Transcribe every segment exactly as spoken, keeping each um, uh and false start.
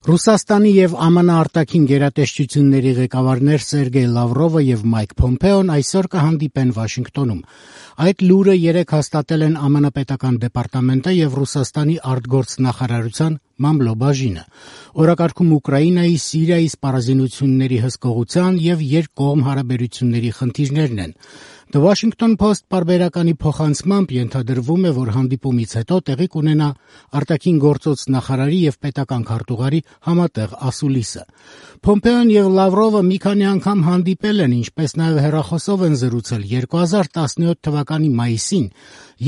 Ռուսաստանի եւ Ամն արտաքին գերատեսչությունների ղեկավարներ Սերգեյ Լավրովը եւ Մայք Փոմպեոն այսօր կհանդիպեն Վաշինգտոնում։ Այդ լուրը երեկ հաստատել են ԱՄՆ պետական դեպարտամենտը եւ Ռուսաստանի արտգործնախարարության մամլոբաժինը։ Օրակարգում Ուկրաինայի, Սիրիայի սպառազինությունների հսկողության եւ երկկողմ հարաբերությունների խնդիրներն են։ The Washington Post պարբերականի փոխանցմամբ ենթադրվում է, որ հանդիպումից հետո տեղի կունենա արտաքին գործոց նախարարի եւ պետական քարտուղարի համատեղ ասուլիսը։ Փոմպեոն եւ Լավրովը մի քանի անգամ հանդիպել են, ինչպես նաեւ հեռախոսով են զրուցել երկու հազար տասնյոթ թվականի մայիսին,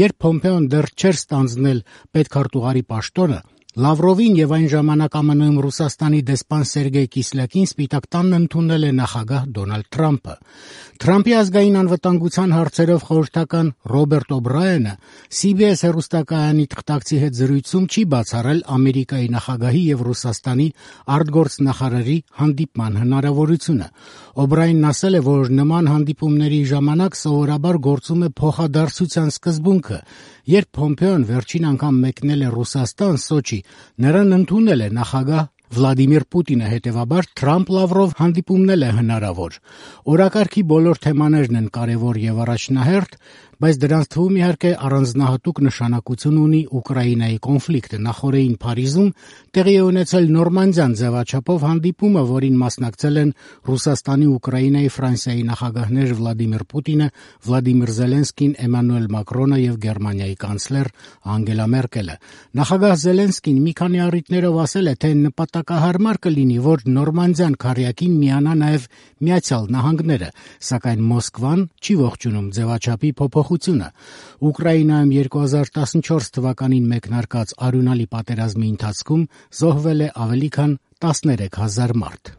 երբ Փոմպեոն դեռ չէր ստանձնել պետքարտուղարի պաշտոնը։ Լավրովին եւ այն ժամանակ ԱՄՆ-ում Ռուսաստանի դեսպան Սերգեյ Կիսլյակին Սպիտակ տանն ընդունել է նախագահ Դոնալդ Թրամփը։ Թրամփի ազգային անվտանգության հարցերով խորհրդական Ռոբերտ Օբրայենը C B S հեռուստակայանի թղթակցի հետ զրույցում չի բացառել Ամերիկայի նախագահի եւ Ռուսաստանի արտգործնախարարի հանդիպման հնարավորությունը։ Օբրայենն ասել է, որ նման հանդիպումների ժամանակ սովորաբար գործում է փոխադարձության սկզբունքը։ Երբ Փոմպեոն վերջին անգամ մեկնել է Ռուսաստան, Սոչի, նրան ընդունել է նախագահ Վլադիմիր Պուտինը, հետևաբար Թրամփ-Լավրով հանդիպումն է հնարավոր։ Օրակարգի բոլոր թեմաներն են կարևոր եւ առաջնահերթ, բայց դրանց թվում իհարկե առանձնահատուկ նշանակություն ունի Ուկրաինայի կոնֆլիկտը։ Նախորդին Փարիզում տեղի է ունեցել Նորմանդիան ձևաչափով հանդիպումը, որին մասնակցել են Ռուսաստանի, Ուկրաինայի, Ֆրանսիայի նախագահներ Վլադիմիր Պուտինը, Վլադիմիր Զելենսկին, Էմանուել Մակրոնը եւ Գերմանիայի կանցլեր Անգելա Մերկելը։ Նախագահ Զելենսկին մի քանի առիթներով ասել է, թե նպատակահարմար կլինի, որ Նորմանդիան քարյակին միանա նաեւ Միացյալ Նահանգները, սակայն Մոսկվան չի ողջունում ձևաչափի փոփոխությունը։ Ուկրաինայում երկու հազար տասնչորս թվականին մեկնարկած արյունալի պատերազմի ընթացքում զոհվել է ավելի քան տասներեք հազար մարդ։